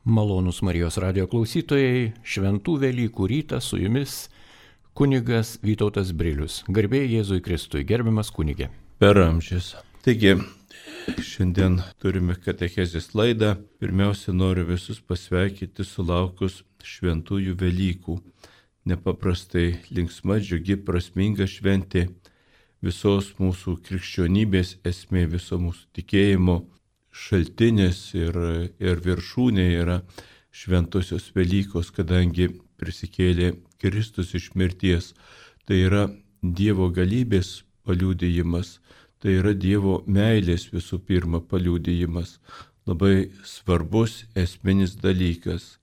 Malonūs Marijos radijo klausytojai, šventų Velykų rytą su jumis kunigas Vytautas Brilius. Garbė Jėzui Kristui, gerbiamas kunigė. Per amžius. Taigi, šiandien turime katechezės laidą. Pirmiausia, noriu visus pasveikinti sulaukus šventųjų Velykų. Nepaprastai linksma, džiugi, prasminga šventė, visos mūsų krikščionybės esmė, viso mūsų tikėjimo šaltinis ir viršūnė yra šventosios Velykos, kadangi prisikėlė Kristus iš mirties. Tai yra Dievo galybės paliudijimas, tai yra Dievo meilės visų pirma paliudijimas. Labai svarbus esminis dalykas.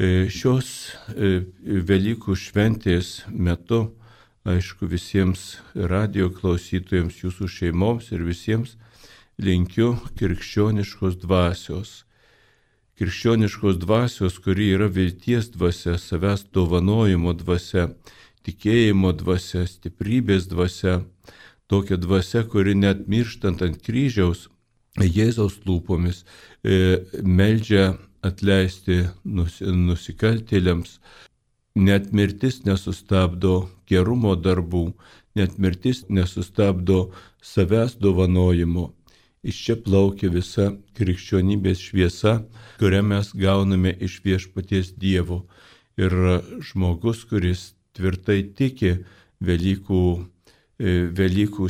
Šios Velykų šventės metu, aišku, visiems radijo klausytojams, jūsų šeimoms ir visiems linkiu krikščioniškos dvasios. Krikščioniškos dvasios, kuri yra vilties dvasia, savęs dovanojimo dvasia, tikėjimo dvasia, stiprybės dvasia. Tokia dvasia, kuri net mirštant ant kryžiaus Jėzaus lūpomis meldžia atleisti nusikaltėliams. Net mirtis nesustabdo gerumo darbų, net mirtis nesustabdo savęs dovanojimo. Iš čia plaukia visa krikščionybės šviesa, kurią mes gauname iš viešpaties Dievo. Ir žmogus, kuris tvirtai tiki Velykų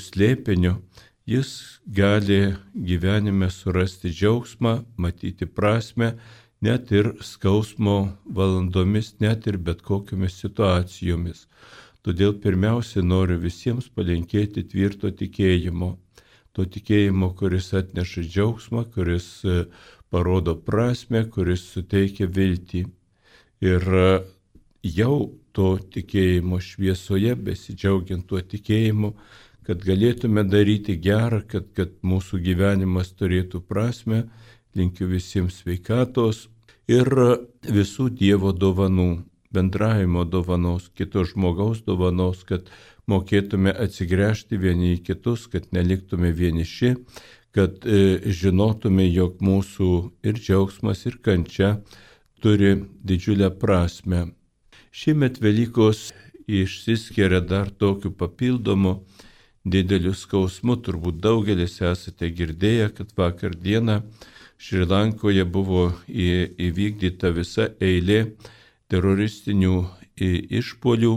slėpiniu, jis gali gyvenime surasti džiaugsmą, matyti prasmę, net ir skausmo valandomis, net ir bet kokiomis situacijomis. Todėl pirmiausia noriu visiems palinkėti tvirto tikėjimo. To tikėjimo, kuris atneša džiaugsmą, kuris parodo prasmę, kuris suteikia viltį. Ir jau to tikėjimo šviesoje, besidžiaugiant tuo tikėjimu, kad galėtume daryti gerą, kad mūsų gyvenimas turėtų prasmę, linkiu visiems sveikatos ir visų Dievo dovanų, bendravimo dovanos, kito žmogaus dovanos, kad mokėtume atsigręžti vieni į kitus, kad neliktume vieniši, kad žinotume, jog mūsų ir džiaugsmas, ir kančia turi didžiulę prasme. Šiemet Velykos išsiskiria dar tokiu papildomu dideliu skausmu. Turbūt daugelis esate girdėję, kad vakar dieną Šri Lankoje buvo įvykdyta visa eilė teroristinių išpuolių.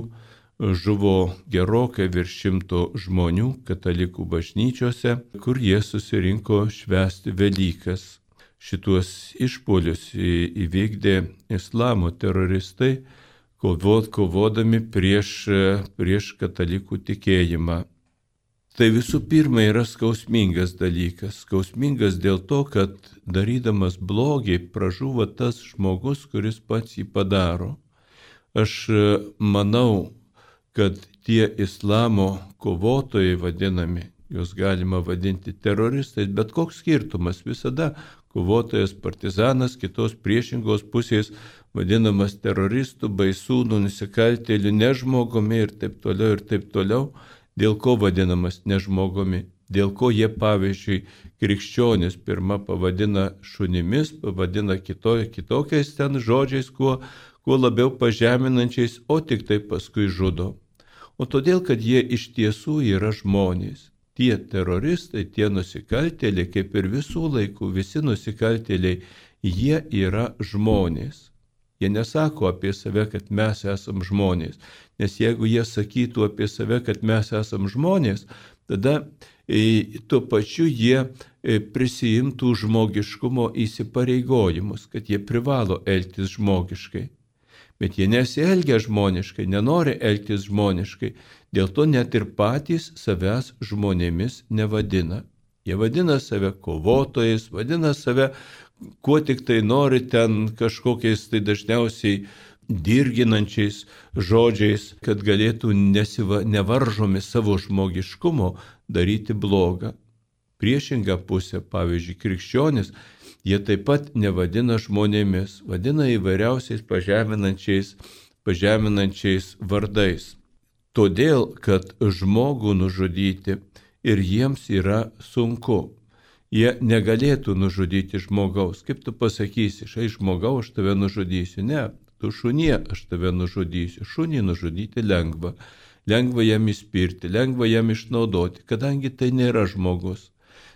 Žuvo gerokai virš 100 žmonių katalikų bažnyčiose, kur jie susirinko švęsti Velykas. Šituos išpuolius įvykdė islamo teroristai, kovodami prieš katalikų tikėjimą. Tai visų pirma yra skausmingas dalykas. Skausmingas dėl to, kad darydamas blogį pražūva tas žmogus, kuris pats jį padaro. Aš manau, kad tie islamo kovotojai vadinami, juos galima vadinti teroristais, bet koks skirtumas, visada kovotojas, partizanas, kitos priešingos pusės vadinamas teroristų, baisūnų, nusikaltėlių, nežmogumi ir taip toliau. Dėl ko vadinamas nežmogumi? Dėl ko jie, pavyzdžiui, krikščionis pirmą pavadina šunimis, pavadina kitokiais ten žodžiais, kuo labiau pažeminančiais, o tik tai paskui žudo. O todėl, kad jie iš tiesų yra žmonės. Tie teroristai, tie nusikaltėliai, kaip ir visų laikų, visi nusikaltėliai, jie yra žmonės. Jie nesako apie save, kad mes esam žmonės. Nes jeigu jie sakytų apie save, kad mes esam žmonės, tada tuo pačiu jie prisiimtų žmogiškumo įsipareigojimus, kad jie privalo elgtis žmogiškai. Bet jie nesielgia žmoniškai, nenori elgtis žmoniškai, dėl to net ir patys savęs žmonėmis nevadina. Jie vadina save kovotojais, vadina save, kuo tik tai nori ten kažkokiais tai dažniausiai dirginančiais žodžiais, kad galėtų nevaržomi savo žmogiškumo daryti blogą. Priešingą pusę, pavyzdžiui, krikščionis, jie taip pat nevadina žmonėmis, vadina įvairiausiais pažeminančiais vardais. Todėl, kad žmogų nužudyti ir jiems yra sunku. jie negalėtų nužudyti žmogaus. Kaip tu pasakysi, šai žmogau, aš tave nužudysiu? Ne, tu šunie, aš tave nužudysiu. Šunį nužudyti lengva. Lengva jam įspirti, lengva jam išnaudoti, kadangi tai nėra žmogus.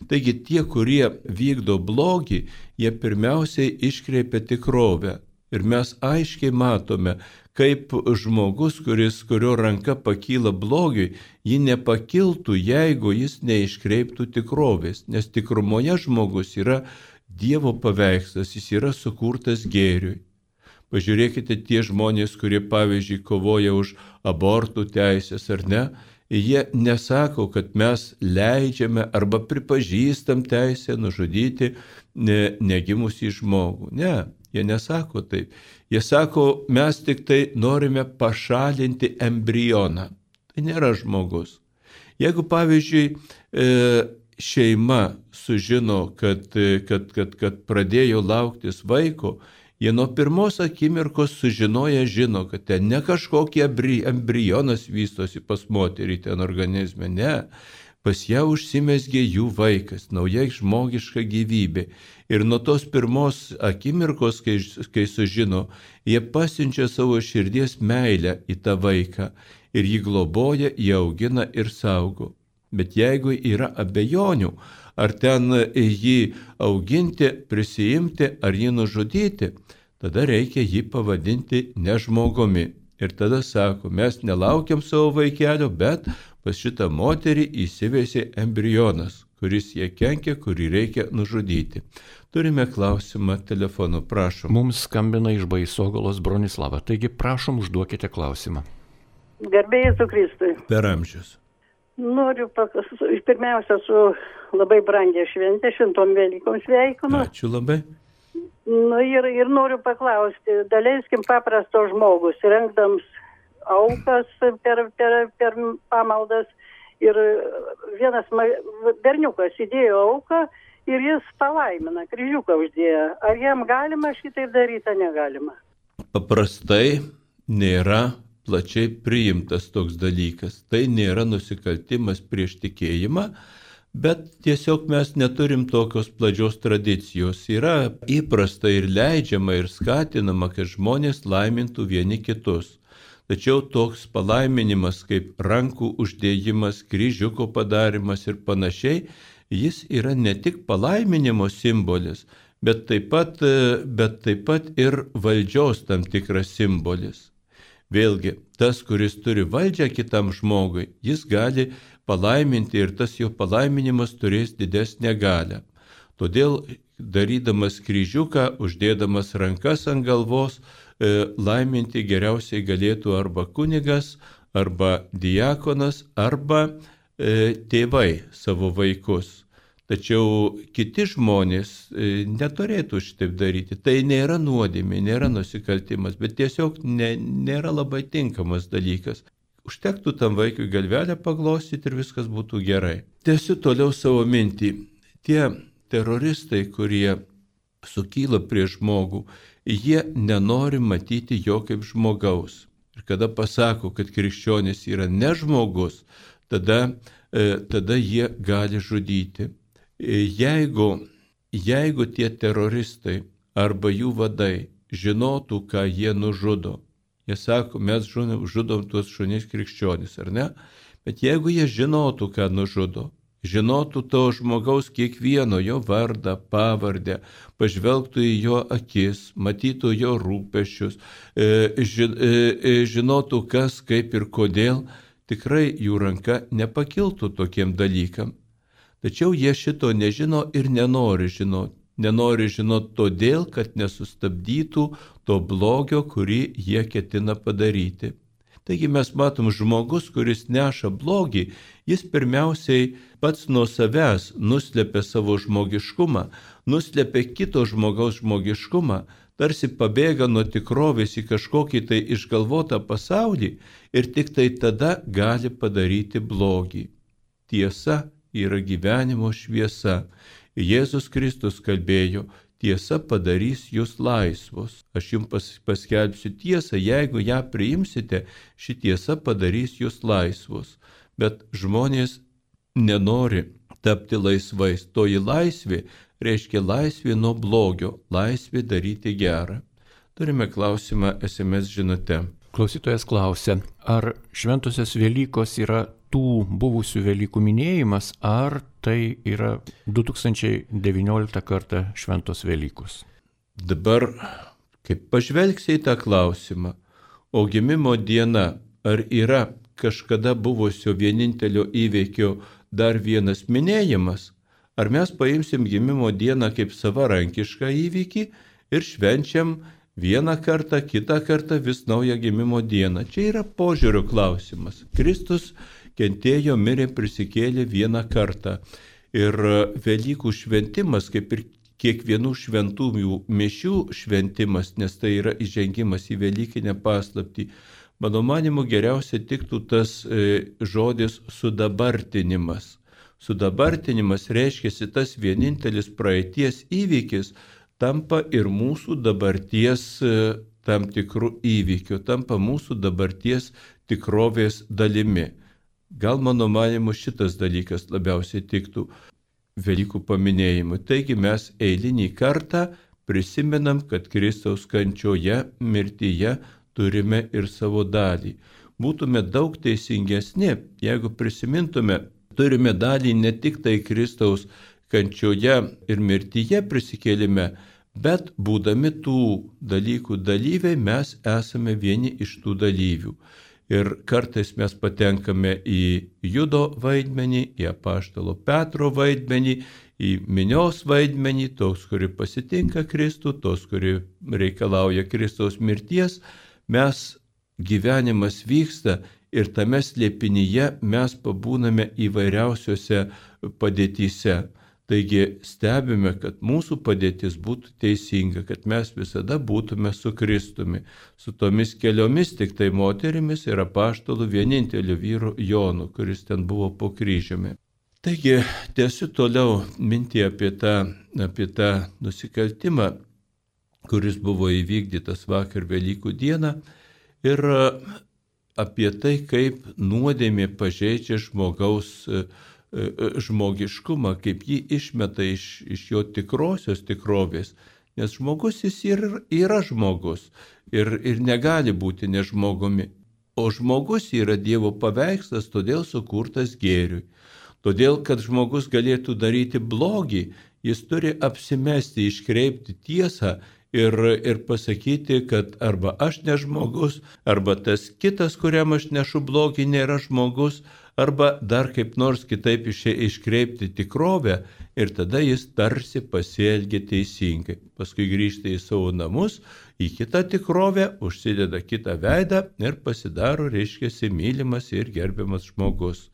Taigi tie, kurie vykdo blogį, jie pirmiausiai iškreipia tikrovę. Ir mes aiškiai matome, kaip žmogus, kurio ranka pakyla blogiui, ji nepakiltų, jeigu jis neiškreiptų tikrovės. Nes tikrumoje žmogus yra Dievo paveikslas, jis yra sukurtas gėriui. Pažiūrėkite tie žmonės, kurie pavyzdžiui kovoja už abortų teisės ar ne, jie nesako, kad mes leidžiame arba pripažįstam teisę nužudyti negimusį žmogų. Ne, jie nesako taip. Jie sako, mes tik tai norime pašalinti embrioną. Tai nėra žmogus. Jeigu pavyzdžiui šeima sužino, kad pradėjo lauktis vaiko, jie nuo pirmos akimirkos sužinoja, žino, kad ten ne kažkokie embrionas vystosi pas moterį ten organizme, ne. Pas ją užsimezgė jų vaikas, nauja žmogiška gyvybė. Ir nuo tos pirmos akimirkos, kai sužino, jie pasiunčia savo širdies meilę į tą vaiką ir jį globoja, jį augina ir saugo. Bet jeigu yra abejonių, ar ten jį auginti, prisiimti, ar jį nužudyti, tada reikia jį pavadinti nežmogumi. Ir tada sako, mes nelaukiam savo vaikelio, bet pas šitą moterį įsivėsė embrionas, kuris jie kenkia, kurį reikia nužudyti. Turime klausimą telefonu, prašom. Mums skambina iš Baisogalos Bronislava, taigi prašom užduokite klausimą. Garbė Jėzui Kristui. Per amžius. Noriu pirmiausia su labai brangia šventė, šventom Velykom sveikinu. Ačiū labai. Ir noriu paklausti, daleiskim paprasto žmogus, rengdams aukas per pamaldas, ir vienas berniukas įdėjo auką ir jis palaimina, kryžiuką uždėjo. Ar jam galima šitaip daryti, ar negalima? Paprastai nėra plačiai priimtas toks dalykas. Tai nėra nusikaltimas prieš tikėjimą, bet tiesiog mes neturim tokios plačios tradicijos. Yra įprasta ir leidžiama ir skatinama, kad žmonės laimintų vieni kitus. Tačiau toks palaiminimas kaip rankų uždėjimas, kryžiuko padarimas ir panašiai, jis yra ne tik palaiminimo simbolis, bet taip pat ir valdžios tam tikras simbolis. Vėlgi, tas, kuris turi valdžią kitam žmogui, jis gali palaiminti ir tas jo palaiminimas turės didesnę galią. Todėl, darydamas kryžiuką, uždėdamas rankas ant galvos, laiminti geriausiai galėtų arba kunigas, arba diakonas, arba tėvai savo vaikus. Tačiau kiti žmonės neturėtų šitaip daryti. Tai nėra nuodėmė, nėra nusikaltimas, bet tiesiog nėra labai tinkamas dalykas. Užtektų tam vaikui galvelę paglostyti ir viskas būtų gerai. Tęsiu toliau savo mintį. Tie teroristai, kurie sukyla prieš žmogų, jie nenori matyti jo kaip žmogaus. Ir kada pasako, kad krikščionis yra ne žmogus, tada jie gali žudyti. Jeigu tie teroristai arba jų vadai žinotų, ką jie nužudo, jie sako, mes žudom tuos šunis krikščionis, ar ne? Bet jeigu jie žinotų, ką nužudo, žinotų to žmogaus kiekvieno jo vardą, pavardę, pažvelgtų į jo akis, matytų jo rūpesčius, žinotų kas, kaip ir kodėl, tikrai jų ranka nepakiltų tokiem dalykam. Tačiau jie šito nežino ir nenori žinoti. Nenori žinoti todėl, kad nesustabdytų to blogio, kurį jie ketina padaryti. Taigi mes matom žmogus, kuris neša blogį, jis pirmiausiai pats nuo savęs nuslepia savo žmogiškumą, nuslepia kito žmogaus žmogiškumą, tarsi pabėga nuo tikrovės į kažkokį tai išgalvotą pasaulį ir tik tai tada gali padaryti blogį. Tiesa yra gyvenimo šviesa. Jėzus Kristus kalbėjo, tiesa padarys jūs laisvus. Aš jums paskelbsiu tiesą, jeigu ją priimsite, ši tiesa padarys jūs laisvus. Bet žmonės nenori tapti laisvais. Toji laisvė reiškia laisvė nuo blogio, laisvė daryti gerą. Turime klausimą SMS žinute. Klausytojas klausia, ar šventosios Velykos yra tų buvusių Velykų minėjimas, ar tai yra 2019 kartą šventos Velykos? Dabar, kaip pažvelgsi į tą klausimą, o gimimo diena, ar yra kažkada buvusio vienintelio įvykio dar vienas minėjimas, ar mes paimsim gimimo dieną kaip savarankišką įvykį ir švenčiam vieną kartą, kitą kartą vis naują gimimo dieną. Čia yra požiūrio klausimas. Kristus kentėjo, mirė, prisikėlė vieną kartą. Ir Velykų šventimas, kaip ir kiekvienų šventųjų mišių šventimas, nes tai yra įžengimas į Velykinę paslaptį, mano manimu geriausiai tiktų tas žodis sudabartinimas. Sudabartinimas reiškia tas vienintelis praeities įvykis, tampa ir mūsų dabarties tam tikrų įvykių, tampa mūsų dabarties tikrovės dalimi. Gal mano manimu šitas dalykas labiausiai tiktų Velykų paminėjimui. Taigi mes eilinį kartą prisimenam, kad Kristaus kančioje, mirtyje turime ir savo dalį. Būtume daug teisingesni, jeigu prisimintume, turime dalį ne tik tai Kristaus kančioje ir mirtyje prisikėlime, bet būdami tų dalykų dalyviai, mes esame vieni iš tų dalyvių. Ir kartais mes patenkame į Judo vaidmenį, į apaštalo Petro vaidmenį, į minios vaidmenį, tos, kuri pasitinka Kristų, tos, kuri reikalauja Kristaus mirties. Mes gyvenimas vyksta ir tame slėpinyje mes pabūname įvairiausiose padėtyse. Taigi stebime, kad mūsų padėtis būtų teisinga, kad mes visada būtume su Kristumi, su tomis keliomis tik tai moterimis ir apaštalų vieninteliu vyru Jonu, kuris ten buvo po kryžiumi. Taigi tęsiu toliau mintį apie tą nusikaltimą, kuris buvo įvykdytas vakar Velykų dieną ir apie tai, kaip nuodėmė pažeidžia žmogiškumą, kaip jį išmeta iš jo tikrosios tikrovės, nes žmogus jis yra žmogus ir negali būti nežmogumi, o žmogus yra Dievo paveikslas, todėl sukurtas gėriui. Todėl, kad žmogus galėtų daryti blogį, jis turi apsimesti, iškreipti tiesą ir pasakyti, kad arba aš ne žmogus, arba tas kitas, kuriam aš nešu blogį, nėra žmogus, arba dar kaip nors kitaip iškreipti tikrovę ir tada jis tarsi pasielgia teisingai. Paskui grįžta į savo namus, į kitą tikrovę, užsideda kitą veidą ir pasidaro, reiškia, mylimas ir gerbiamas žmogus.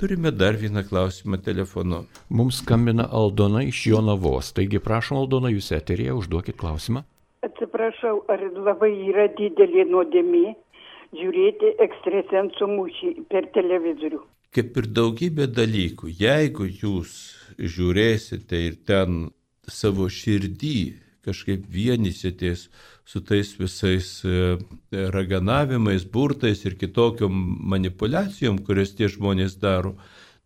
Turime dar vieną klausimą telefonu. Mums skambina Aldona iš Jonavos. Taigi prašom, Aldona, jūs eteryje, užduokit klausimą. Atsiprašau, ar labai yra didelė nuodėmė žiūrėti ekstrasensų mūšį per televizorių? Kaip ir daugybė dalykų, jeigu jūs žiūrėsite ir ten savo širdį kažkaip vienysitės su tais visais raganavimais, burtais ir kitokiom manipulacijom, kurias tie žmonės daro,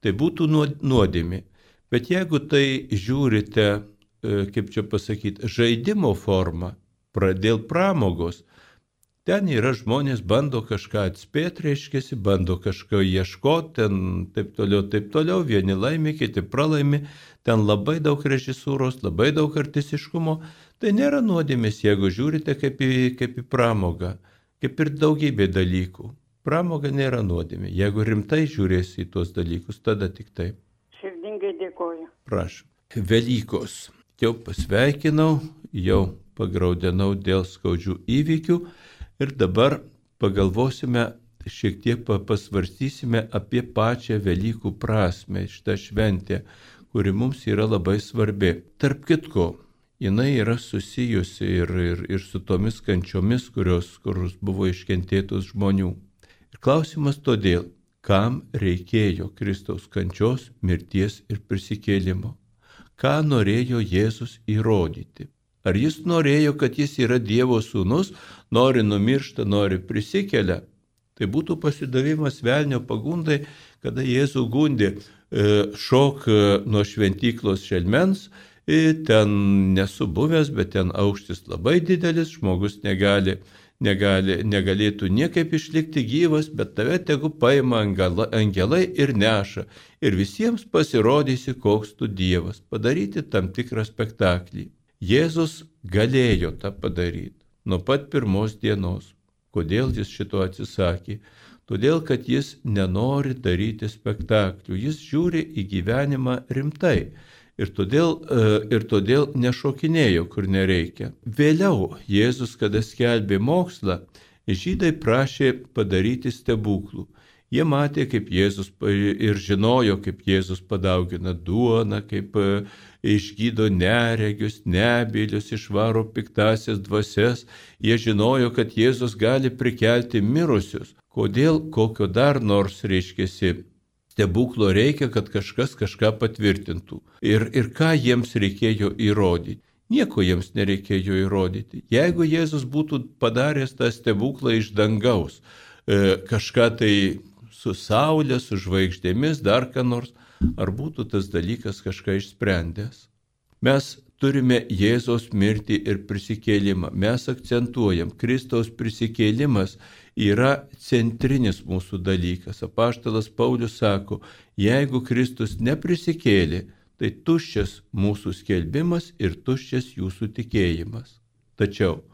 tai būtų nuodėmė. Bet jeigu tai žiūrite, kaip čia pasakyti, žaidimo formą, dėl pramogos, ten yra žmonės, bando kažką atspėti, reiškiasi, bando kažko ieškoti, ten taip toliau, vieni laimi, kiti pralaimi, ten labai daug režisūros, labai daug artistiškumo, tai nėra nuodėmės, jeigu žiūrite kaip į pramogą, kaip ir daugybė dalykų. Pramoga nėra nuodėmė, jeigu rimtai žiūrėsi į tuos dalykus, tada tik taip. Širdingai dėkoju. Prašom. Velykos. Jau pasveikinau, jau pagraudenau dėl skaudžių įvykių. Ir dabar pagalvosime, šiek tiek pasvarstysime apie pačią Velykų prasmę, šitą šventę, kuri mums yra labai svarbi. Tarp kitko, jinai yra susijusi ir su tomis kančiomis, kurios buvo iškentėtos žmonių. Ir klausimas todėl, kam reikėjo Kristaus kančios, mirties ir prisikėlimo? Ką norėjo Jėzus įrodyti? Ar jis norėjo, kad jis yra Dievo sūnus, nori numiršta, nori prisikelia? Tai būtų pasidavimas velnio pagundai, kada Jėzų gundė šok nuo šventyklos šelmens, ten nesu buvęs, bet ten aukštis labai didelis, žmogus negalėtų niekaip išlikti gyvas, bet tave tegu paima angelai ir neša. Ir visiems pasirodysi, koks tu Dievas, padaryti tam tikrą spektaklį. Jėzus galėjo tą padaryti nuo pat pirmos dienos. Kodėl jis šito atsisakė? Todėl, kad jis nenori daryti spektaklių, jis žiūri į gyvenimą rimtai. Ir todėl nešokinėjo, kur nereikia. Vėliau Jėzus, kada skelbė mokslą, žydai prašė padaryti stebuklų. Jie matė, kaip Jėzus ir žinojo, kaip Jėzus padaugina duoną, kaip išgydo neregius, nebylius, išvaro piktasias dvasias. Jie žinojo, kad Jėzus gali prikelti mirusius. Kodėl kokio dar nors reiškėsi stebuklo reikia, kad kažkas kažką patvirtintų. Ir ką jiems reikėjo įrodyti? Nieko jiems nereikėjo įrodyti. Jeigu Jėzus būtų padaręs tą stebuklą iš dangaus, kažką tai su saulė, su žvaigždėmis, dar ką nors, ar būtų tas dalykas kažką išsprendęs? Mes turime Jėzaus mirtį ir prisikėlimą. Mes akcentuojam, Kristaus prisikėlimas yra centrinis mūsų dalykas. Apaštalas Paulius sako, jeigu Kristus neprisikėlė, tai tuščias mūsų skelbimas ir tuščias jūsų tikėjimas. Tačiau,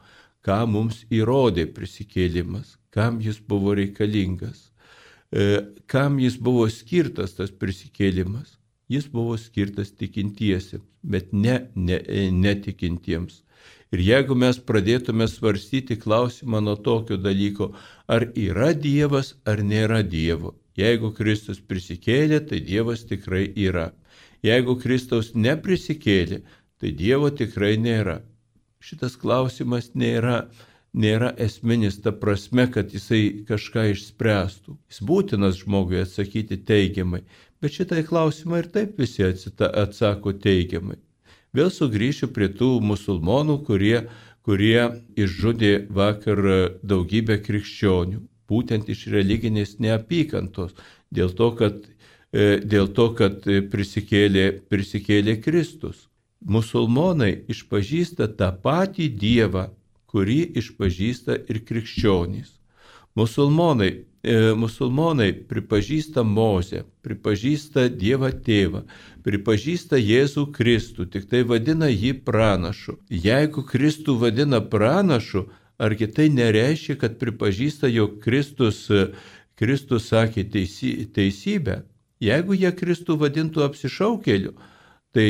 ką mums įrodė prisikėlimas, kam jis buvo reikalingas, kam jis buvo skirtas tas prisikėlimas? Jis buvo skirtas tikintiesiems, bet netikintiems. Ir jeigu mes pradėtume svarstyti klausimą nuo tokio dalyko, ar yra Dievas, ar nėra Dievo. Jeigu Kristus prisikėlė, tai Dievas tikrai yra. Jeigu Kristaus neprisikėlė, tai Dievo tikrai nėra. Šitas klausimas nėra esminis ta prasme, kad jisai kažką išspręstų. Jis būtinas žmogui atsakyti teigiamai, bet šitai klausimą ir taip visi atsako teigiamai. Vėl sugrįšiu prie tų musulmonų, kurie išžudė vakar daugybę krikščionių, būtent iš religinės neapykantos, dėl to, kad prisikėlė Kristus. Musulmonai išpažįsta tą patį Dievą, kurį išpažįsta ir krikščionys. Musulmonai pripažįsta Mozę, pripažįsta Dievą Tėvą, pripažįsta Jėzų Kristų, tik tai vadina jį pranašu. Jeigu Kristų vadina pranašu, argi tai nereiškia, kad pripažįsta, jog Kristus sakė teisybę? Jeigu jie Kristų vadintų apsišaukėliu, tai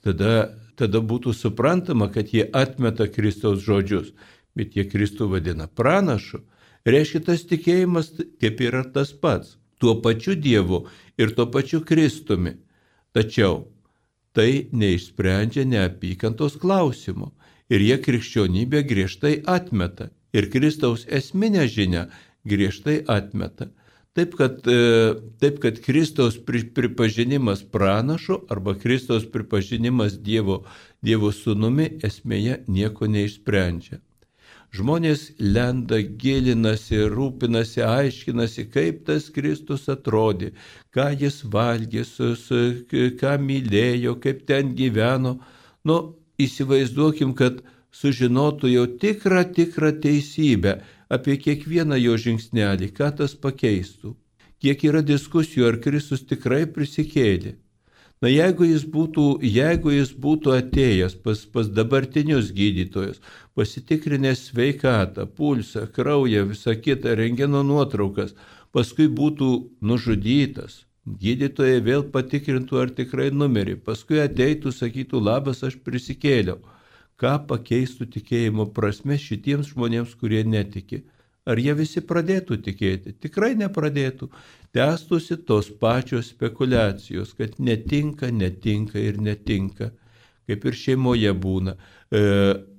tada būtų suprantama, kad jie atmeta Kristaus žodžius, bet jie Kristų vadina pranašu. Reiškia, tas tikėjimas kaip yra tas pats, tuo pačiu Dievu ir tuo pačiu Kristumi. Tačiau tai neišsprendžia neapykantos klausimo ir jie krikščionybę griežtai atmeta ir Kristaus esminę žinią griežtai atmeta. Taip, kad Kristaus pripažinimas pranašu arba Kristaus pripažinimas Dievo sūnumi esmėje nieko neišsprendžia. Žmonės lenda, gilinasi, rūpinasi, aiškinasi, kaip tas Kristus atrodė, ką jis valgė, ką mylėjo, kaip ten gyveno. Įsivaizduokim, kad sužinotų jau tikrą teisybę apie kiekvieną jo žingsnelį, ką tas pakeistų. Kiek yra diskusijų, ar Kristus tikrai prisikėlė. Jeigu jis būtų atėjęs pas dabartinius gydytojus, pasitikrinęs sveikatą, pulsą, kraują, visą kitą, rentgeno nuotraukas, paskui būtų nužudytas, gydytojai vėl patikrintų, ar tikrai numirė, paskui ateitų, sakytų, labas, aš prisikėliau. Ką pakeistų tikėjimo prasme šitiems žmonėms, kurie netiki? Ar jie visi pradėtų tikėti? Tikrai nepradėtų. Tęstųsi tos pačios spekulacijos, kad netinka ir netinka. Kaip ir šeimoje būna.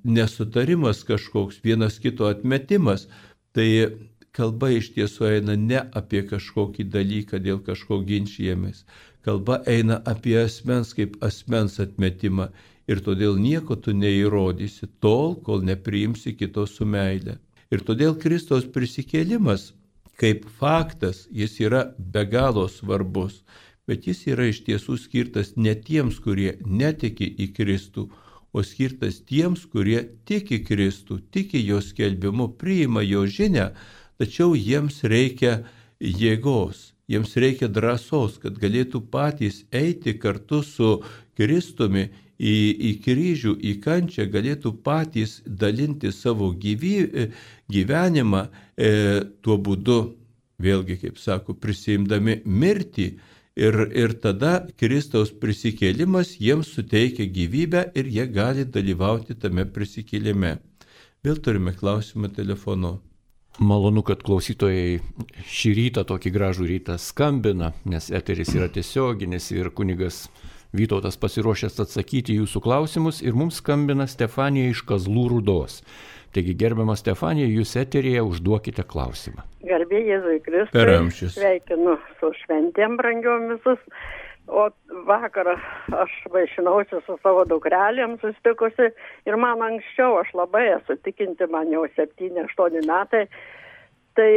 Nesutarimas kažkoks, vienas kito atmetimas, tai kalba iš tiesų eina ne apie kažkokį dalyką, dėl kažko ginčijamės. Kalba eina apie asmens kaip asmens atmetimą ir todėl nieko tu neįrodysi tol, kol nepriimsi kito su meile. Ir todėl Kristaus prisikėlimas kaip faktas jis yra be galo svarbus, bet jis yra iš tiesų skirtas ne tiems, kurie netiki į Kristų, o skirtas tiems, kurie tiki Kristų, tiki jo skelbimu, priima jo žinią, tačiau jiems reikia jėgos, jiems reikia drąsos, kad galėtų patys eiti kartu su Kristumi į kryžių, į kančią, galėtų patys dalinti savo gyvenimą tuo būdu, vėlgi, kaip sako, prisiimdami mirtį. Ir tada Kristaus prisikėlimas jiems suteikia gyvybę ir jie gali dalyvauti tame prisikėlime. Vėl turime klausimą telefonu. Malonu, kad klausytojai šį rytą, tokį gražų rytą skambina, nes eteris yra tiesioginis ir kunigas Vytautas pasiruošęs atsakyti jūsų klausimus ir mums skambina Stefanija iš Kazlų Rūdos. Taigi, gerbiama Stefanija, jūs eteryje užduokite klausimą. Garbė Jėzui Kristui. Per amžius. Sveikinu su šventėm brangiom visus. O vakarą aš vaišinausi su savo dukrelėm susitikusi ir man anksčiau, aš labai esu tikinti, man jau 7-8 metai. Tai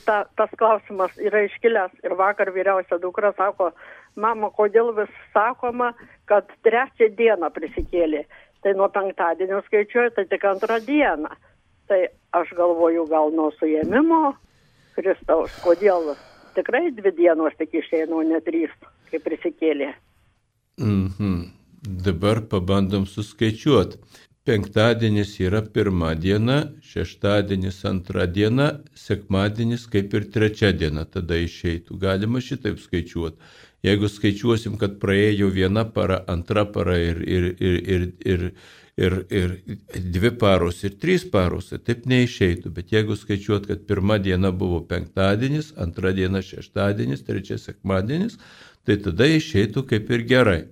tas klausimas yra iškilęs ir vakar vyriausia dukra sako, mama, kodėl vis sakoma, kad 3 dieną prisikėlė. Tai nuo penktadienio skaičiuoju, tai tik 2 dieną. Tai aš galvoju, gal nuo suėmimo Kristaus, kodėl tikrai 2 dienos tik išeina, o ne 3, kai prisikėlė. Dabar pabandom suskaičiuoti. Penktadienis yra 1 diena, šeštadienis 2 diena, sekmadienis kaip ir 3 diena tada išeitų. Galima šitaip skaičiuoti. Jeigu skaičiuosim, kad praėjo 1 para, 2 para ir 2 paros ir 3 paros, tai taip neišeitų. Bet jeigu skaičiuot, kad 1 diena buvo penktadienis, 2 diena šeštadienis, 3 sekmadienis, tai tada išeitų kaip ir gerai.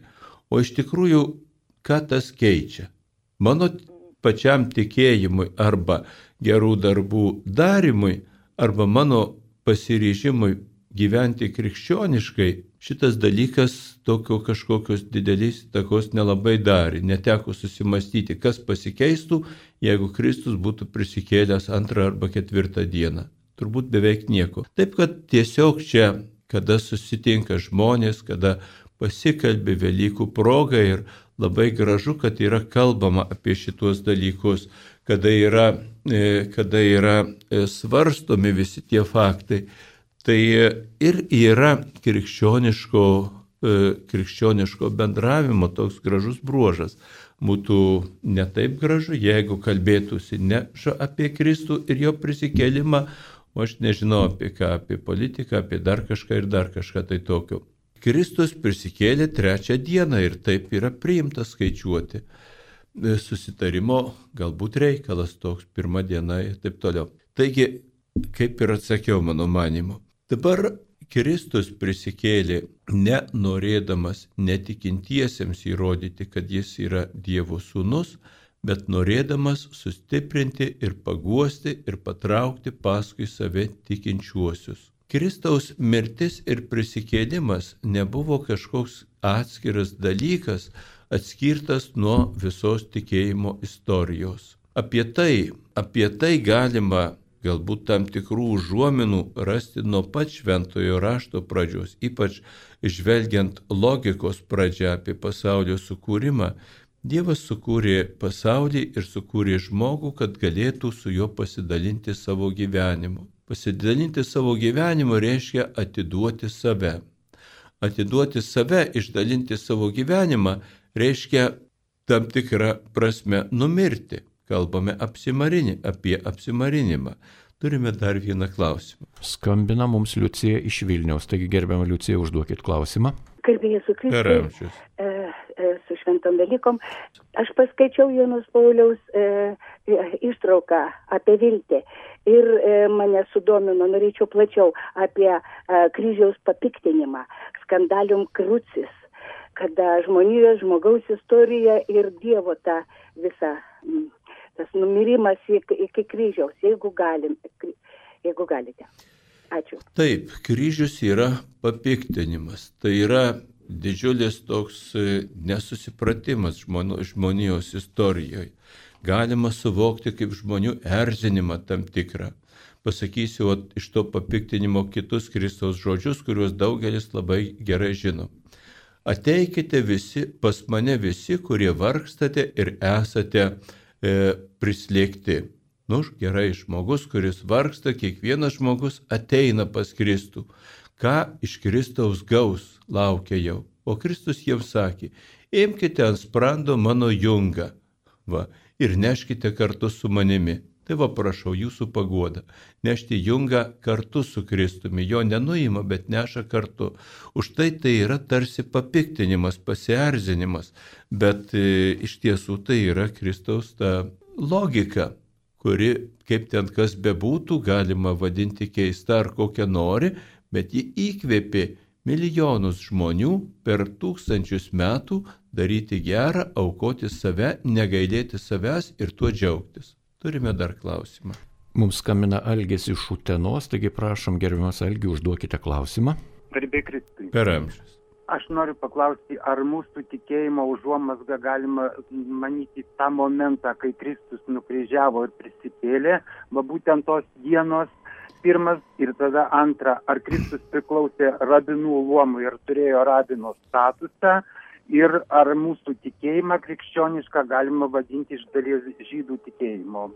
O iš tikrųjų, ką tas keičia? Mano pačiam tikėjimui arba gerų darbų darimui, arba mano pasiryžimui gyventi krikščioniškai, šitas dalykas tokio kažkokios didelės įtakos nelabai darė. Neteko susimastyti, kas pasikeistų, jeigu Kristus būtų prisikėlęs 2 arba 4 dieną. Turbūt beveik nieko. Taip, kad tiesiog čia, kada susitinka žmonės, kada pasikalbė Velykų proga ir labai gražu, kad yra kalbama apie šitos dalykus, kada yra svarstomi visi tie faktai. Tai ir yra krikščioniško bendravimo toks gražus bruožas. Būtų ne taip gražu, jeigu kalbėtųsi ne apie Kristų ir jo prisikėlimą, o aš nežinau apie ką, apie politiką, apie dar kažką tai tokio. Kristus prisikėlė 3 dieną ir taip yra priimta skaičiuoti. Susitarimo galbūt reikalas toks, 1 diena ir taip toliau. Taigi, kaip ir atsakiau mano manimu, dabar Kristus prisikėlė nenorėdamas netikintiesiems įrodyti, kad jis yra Dievo sūnus, bet norėdamas sustiprinti ir paguosti ir patraukti paskui save tikinčiuosius. Kristaus mirtis ir prisikėlimas nebuvo kažkoks atskiras dalykas, atskirtas nuo visos tikėjimo istorijos. Apie tai galima galbūt tam tikrų užuominų rasti nuo pat šventojo rašto pradžios, ypač žvelgiant logikos pradžią apie pasaulio sukūrimą. Dievas sukūrė pasaulį ir sukūrė žmogų, kad galėtų su juo pasidalinti savo gyvenimu. Pasidalinti savo gyvenimu reiškia atiduoti save. Atiduoti save, išdalinti savo gyvenimą reiškia tam tikrą prasme numirti. Kalbame apie apsimarinimą. Turime dar vieną klausimą. Skambina mums Liucija iš Vilniaus. Taigi, gerbiama Liucija, užduokit klausimą. Kalbėjai su Kristui, su šventom Velykom. Aš paskaičiau Jonos Pauliaus ištrauką apie viltį ir mane sudomino, norėčiau plačiau apie kryžiaus papiktinimą, skandalium crucis, kada žmogaus istorija ir Dievo ta visa, tas numirimas iki kryžiaus, jeigu galite. Ačiū. Taip, kryžius yra papiktinimas. Tai yra didžiulis toks nesusipratimas žmonijos istorijoje. Galima suvokti kaip žmonių erzinimą tam tikrą. Pasakysiu iš to papiktinimo kitus Kristaus žodžius, kuriuos daugelis labai gerai žino. Ateikite visi pas mane visi, kurie vargstate ir esate prislėgti. Gerai, žmogus, kuris vargsta, kiekvienas žmogus ateina pas Kristų. Ką iš Kristaus gaus, laukia jau. O Kristus jiems sakė, imkite ant sprando mano jungą ir neškite kartu su manimi. Tai prašau jūsų paguodą. Nešti jungą kartu su Kristumi. Jo nenuima, bet neša kartu. Už tai yra tarsi papiktinimas, pasierzinimas. Bet iš tiesų tai yra Kristaus ta logika, kuri, kaip ten kas bebūtų, galima vadinti keista ar kokią nori, bet ji įkvėpė milijonus žmonių per 1000 metų daryti gerą, aukoti save, negailėti savęs ir tuo džiaugtis. Turime dar klausimą. Mums skambina Algis iš Utenos, taigi prašom, gerbiamas Algi, užduokite klausimą. Garbė Kristui. Per amžius. Aš noriu paklausti, ar mūsų tikėjimo užuomazga galima manyti tą momentą, kai Kristus nukryžiavo ir prisikėlė, būtent tos dienos, pirmas ir tada antra, ar Kristus priklausė rabinų luomui ir turėjo rabino statusą, ir ar mūsų tikėjimą krikščionišką galima vadinti iš dalies žydų tikėjimo,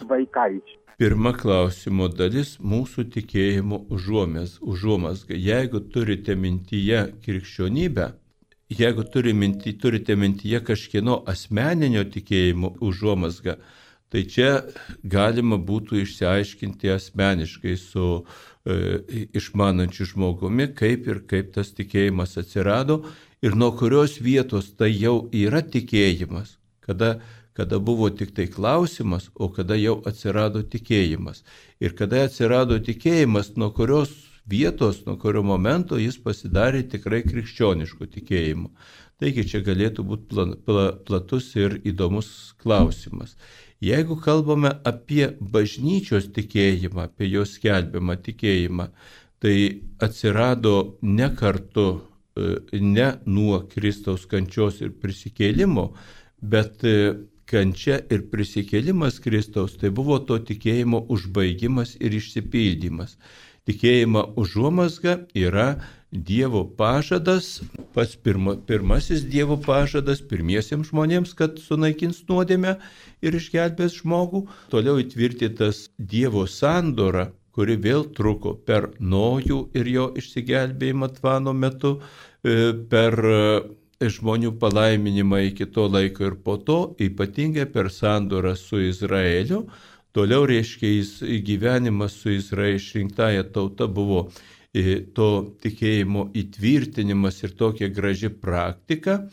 vaikaičių. Pirma klausimo dalis - mūsų tikėjimo užuomazga. Jeigu turite mintyje krikščionybę, jeigu turite mintyje kažkieno asmeninio tikėjimo užuomazgą, tai čia galima būtų išsiaiškinti asmeniškai su išmanančiu žmogumi, kaip tas tikėjimas atsirado ir nuo kurios vietos tai jau yra tikėjimas, kada buvo tik tai klausimas, o kada jau atsirado tikėjimas. Ir kada atsirado tikėjimas, nuo kurios vietos, nuo kurio momento jis pasidarė tikrai krikščionišku tikėjimu. Taigi čia galėtų būti platus ir įdomus klausimas. Jeigu kalbame apie bažnyčios tikėjimą, apie jos skelbiamą tikėjimą, tai atsirado ne kartu, ne nuo Kristaus kančios ir prisikėlimo, bet kančia ir prisikėlimas Kristaus tai buvo to tikėjimo užbaigimas ir išsipildymas. Tikėjimo užuomazga yra Dievo pažadas, pats pirmasis Dievo pažadas pirmiesiems žmonėms, kad sunaikins nuodėmę ir išgelbės žmogų. Toliau įtvirtintas Dievo sandora, kuri vėl truko per Nojų ir jo išsigelbėjimą Tvano metu, per žmonių palaiminimą iki to laiko ir po to, ypatingai per sandorą su Izraeliu. Toliau reiškia gyvenimas su Izraelio išrinktąja tauta buvo to tikėjimo įtvirtinimas ir tokia graži praktika,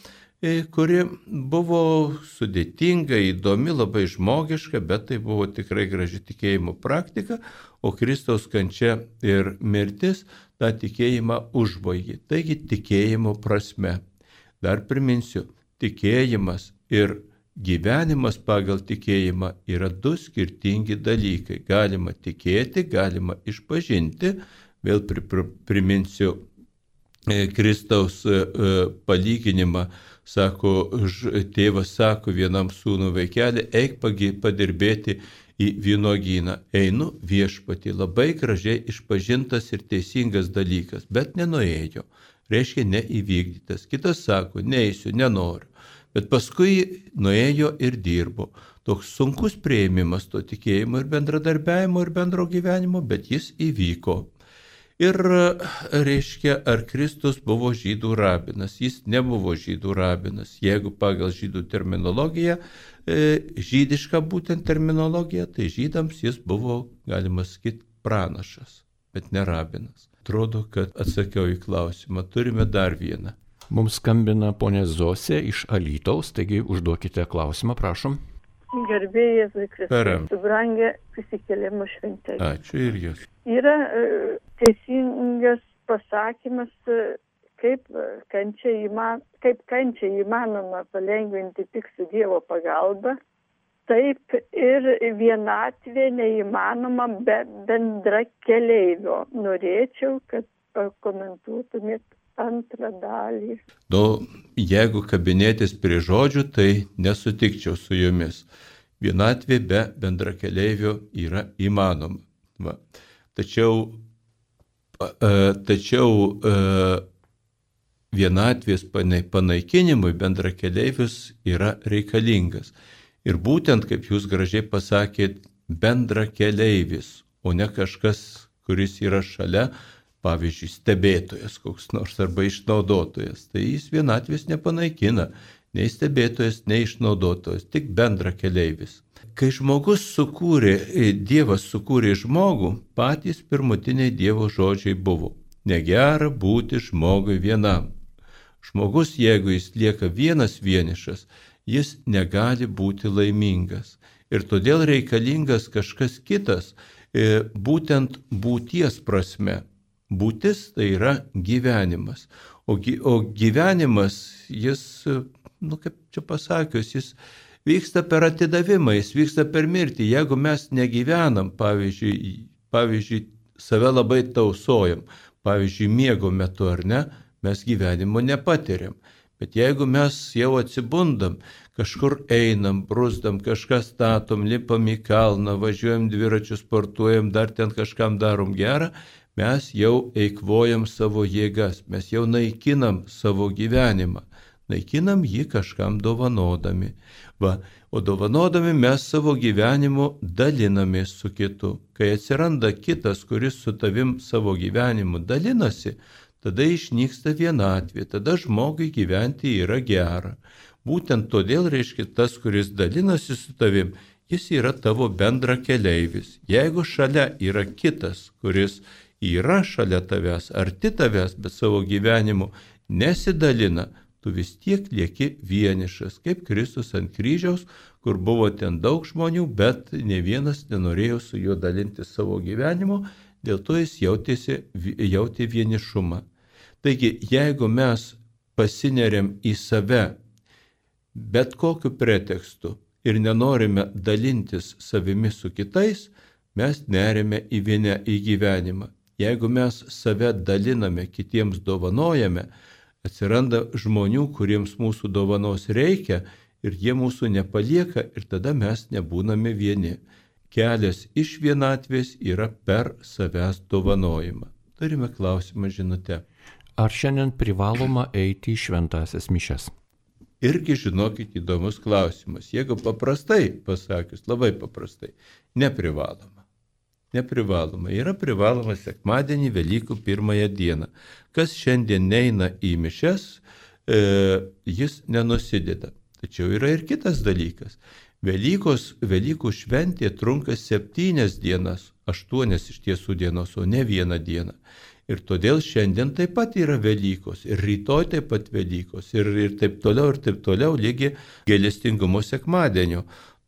kuri buvo sudėtinga, įdomi, labai žmogiška, bet tai buvo tikrai graži tikėjimo praktika, o Kristaus kančia ir mirtis tą tikėjimą užbaigė. Taigi tikėjimo prasme. Dar priminsiu, tikėjimas ir gyvenimas pagal tikėjimą yra du skirtingi dalykai. Galima tikėti, galima išpažinti. Vėl priminsiu Kristaus palyginimą. Sako, tėvas sako vienam sūnų vaikelį, eik padirbėti į vynuogyną. Einu viešpatį, labai gražiai išpažintas ir teisingas dalykas, bet nenuėjo. Reiškia neįvykdytas. Kitas sako, neisiu, nenoriu. Bet paskui nuėjo ir dirbo. Toks sunkus priėmimas to tikėjimo ir bendradarbiavimo ir bendro gyvenimo, bet jis įvyko. Ir reiškia, ar Kristus buvo žydų rabinas? Jis nebuvo žydų rabinas. Jeigu pagal žydų terminologiją, žydišką būtent terminologiją, tai žydams jis buvo, galima sakyti, pranašas, bet ne rabinas. Atrodo, kad atsakiau į klausimą. Turime dar vieną. Mums skambina ponė Zosė iš Alytaus, taigi užduokite klausimą, prašom. Garbėjai Jėzui Kristui, brangia prisikėlimo šventė. Ačiū ir jūs. Yra teisingas pasakymas, kaip kančią įmanoma palengvinti tik su Dievo pagalba, taip ir vienatvė neįmanoma be bendra keleivio. Norėčiau, kad pakomentuotumėt antrą dalį. Jeigu kabinėtis prie žodžių, tai nesutikčiau su jumis. vienatvė be bendrakeleivio yra įmanoma. Va. Tačiau vienatvės panaikinimui bendrakeleivis yra reikalingas. Ir būtent, kaip jūs gražiai pasakėt, bendrakeleivis, o ne kažkas, kuris yra šalia, pavyzdžiui, stebėtojas koks nors arba išnaudotojas. Tai jis vienatvės nepanaikina, nei stebėtojas, nei išnaudotojas, tik bendrakeleivis. Kai Dievas sukūrė žmogų, patys pirmutiniai Dievo žodžiai buvo: negera būti žmogui vienam. Žmogus, jeigu jis lieka vienas vienišas, jis negali būti laimingas. Ir todėl reikalingas kažkas kitas, būtent būties prasme. Būtis tai yra gyvenimas. O gyvenimas, jis, kaip čia pasakius, jis vyksta per atidavimą, jis vyksta per mirtį. Jeigu mes negyvenam, pavyzdžiui, save labai tausojam, pavyzdžiui, miego metu ar ne, mes gyvenimo nepatiriam. Bet jeigu mes jau atsibundam, kažkur einam, brusdam, kažką statom, lipam į kalną, važiuojam dviračiu, sportuojam, dar ten kažkam darom gerą, mes jau eikvojam savo jėgas, mes jau naikinam savo gyvenimą. Naikinam jį kažkam dovanodami. O dovanodami mes savo gyvenimu dalinamės su kitu. Kai atsiranda kitas, kuris su tavim savo gyvenimu dalinasi, tada išnyksta vienatvė, tada žmogui gyventi yra gera. Būtent todėl, reiškia, tas, kuris dalinasi su tavim, jis yra tavo bendrakeleivis. Jeigu šalia yra kitas, kuris yra šalia tavęs, arti tavęs, bet savo gyvenimu nesidalina, tu vis tiek lieki vienišas, kaip Kristus ant kryžiaus, kur buvo ten daug žmonių, bet ne vienas nenorėjo su juo dalinti savo gyvenimu, dėl to jis jautė vienišumą. Taigi, jeigu mes pasineriam į save bet kokiu pretekstu ir nenorime dalintis savimi su kitais, mes neriame į gyvenimą. Jeigu mes save daliname, kitiems dovanojame, atsiranda žmonių, kuriems mūsų dovanos reikia ir jie mūsų nepalieka ir tada mes nebūname vieni. Kelias iš vienatvės yra per savęs dovanojimą. Turime klausimą žinutę. Ar šiandien privaloma eiti į šventąsias mišias? Irgi, žinokit, įdomus klausimas. Jeigu paprastai pasakius, labai paprastai, neprivaloma. Neprivaloma. Yra privaloma sekmadienį, Velykų pirmąją dieną. Kas šiandien neina į mišias, jis nenusideda. Tačiau yra ir kitas dalykas. Velykų šventė trunka 7 dienas, 8 iš tiesų dienos, o ne 1 dieną. Ir todėl šiandien taip pat yra Velykos, ir rytoj taip pat Velykos, ir taip toliau, lygi gailestingumo sekmadienio.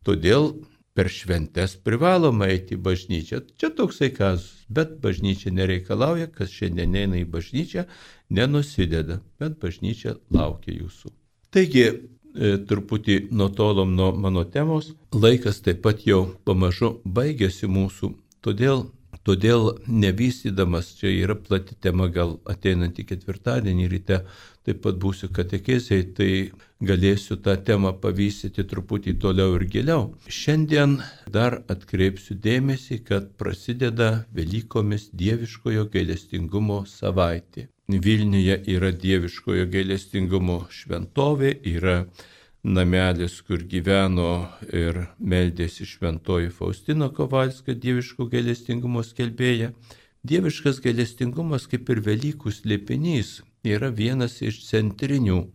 Todėl per šventes privaloma eiti į bažnyčią. Čia toksai kazus, bet bažnyčia nereikalauja, kas šiandien eina į bažnyčią, nenusideda, bet bažnyčia laukia jūsų. Taigi, truputį nutolom nuo mano temos, laikas taip pat jau pamažu baigėsi mūsų, todėl nevystydamas, čia yra plati tema, gal ateinantį ketvirtadienį ryte, taip pat būsiu katekezėje, tai galėsiu tą temą pavystyti truputį toliau ir giliau. Šiandien dar atkreipsiu dėmesį, kad prasideda Velykomis dieviškojo gailestingumo savaitė. Vilniuje yra dieviškojo gailestingumo šventovė, yra namelis, kur gyveno ir meldėsi šventoji Faustina Kovalska, dieviško gailestingumo skelbėja. Dieviškas gailestingumas, kaip ir Velykų slėpinys, yra vienas iš centrinių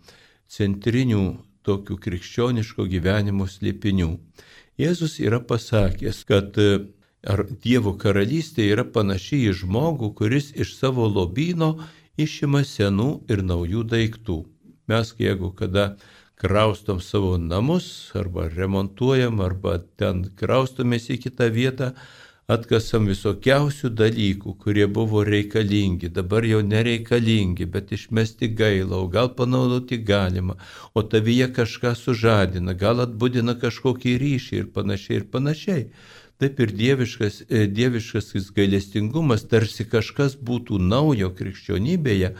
tokių krikščioniško gyvenimo slėpinių. Jėzus yra pasakęs, kad Dievo karalystė yra panaši į žmogų, kuris iš savo lobyno išima senų ir naujų daiktų. Mes, jeigu kada kraustom savo namus, arba remontuojam, arba ten kraustomės į kitą vietą, atkasam visokiausių dalykų, kurie buvo reikalingi, dabar jau nereikalingi, bet išmesti gaila, o gal panaudoti galima, o tavyje kažką sužadina, gal atbudina kažkokį ryšį ir panašiai. Taip ir dieviškas gailestingumas, tarsi kažkas būtų naujo krikščionybėje,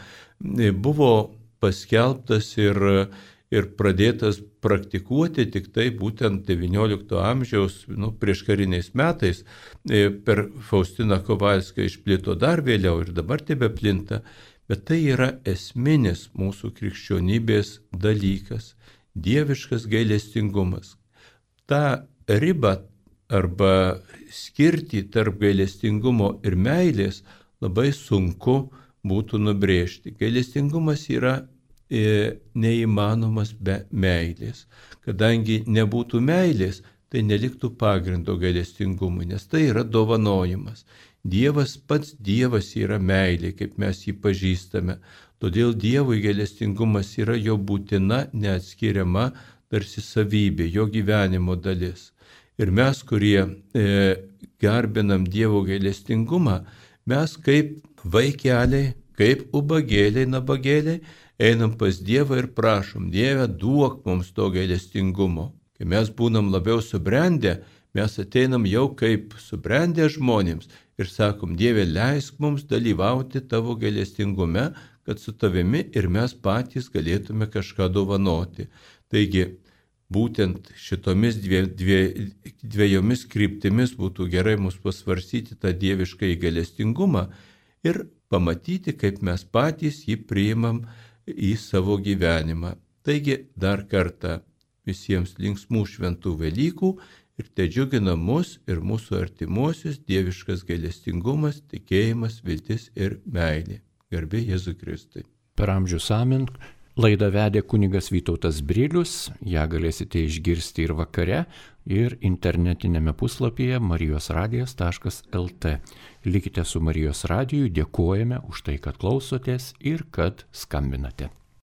buvo paskelbtas ir pradėtas praktikuoti tik tai būtent XIX amžiaus prieškariniais metais. Per Faustiną Kovalską išplito dar vėliau ir dabar tebeplinta, bet tai yra esminis mūsų krikščionybės dalykas – dieviškas gailestingumas. Ta riba arba skirtį tarp gailestingumo ir meilės labai sunku būtų nubrėžti. Gailestingumas yra neįmanomas be meilės. Kadangi nebūtų meilės, tai neliktų pagrindo gailestingumui, nes tai yra dovanojimas. Dievas, pats Dievas yra meilė, kaip mes jį pažįstame. Todėl Dievui gailestingumas yra jo būtina, neatskiriama tarsi savybė, jo gyvenimo dalis. Ir mes, kurie garbinam Dievo gailestingumą, mes kaip vaikeliai, kaip ubagėliai, nabagėliai, einam pas Dievą ir prašom, Dieve, duok mums to gailestingumo. Kai mes būnam labiau subrendę, mes ateinam jau kaip subrendę žmonėms ir sakom, Dieve, leisk mums dalyvauti tavo gailestingume, kad su tavimi ir mes patys galėtume kažką dovanoti. Taigi, būtent šitomis dviejomis kryptimis būtų gerai mus pasvarsyti tą dievišką gailestingumą ir pamatyti, kaip mes patys jį priimam į savo gyvenimą. Taigi dar kartą visiems linksmų šventų Velykų ir tedžiugina mus ir mūsų artimuosius dieviškas gailestingumas, tikėjimas, viltis ir meilė. Garbė Jėzui Kristui. Per amžius amen. Laidą vedė kunigas Vytautas Brilius, ją galėsite išgirsti ir vakare, ir internetinėme puslapyje marijosradijas.lt. Likite su Marijos radiju, dėkojame už tai, kad klausotės ir kad skambinate.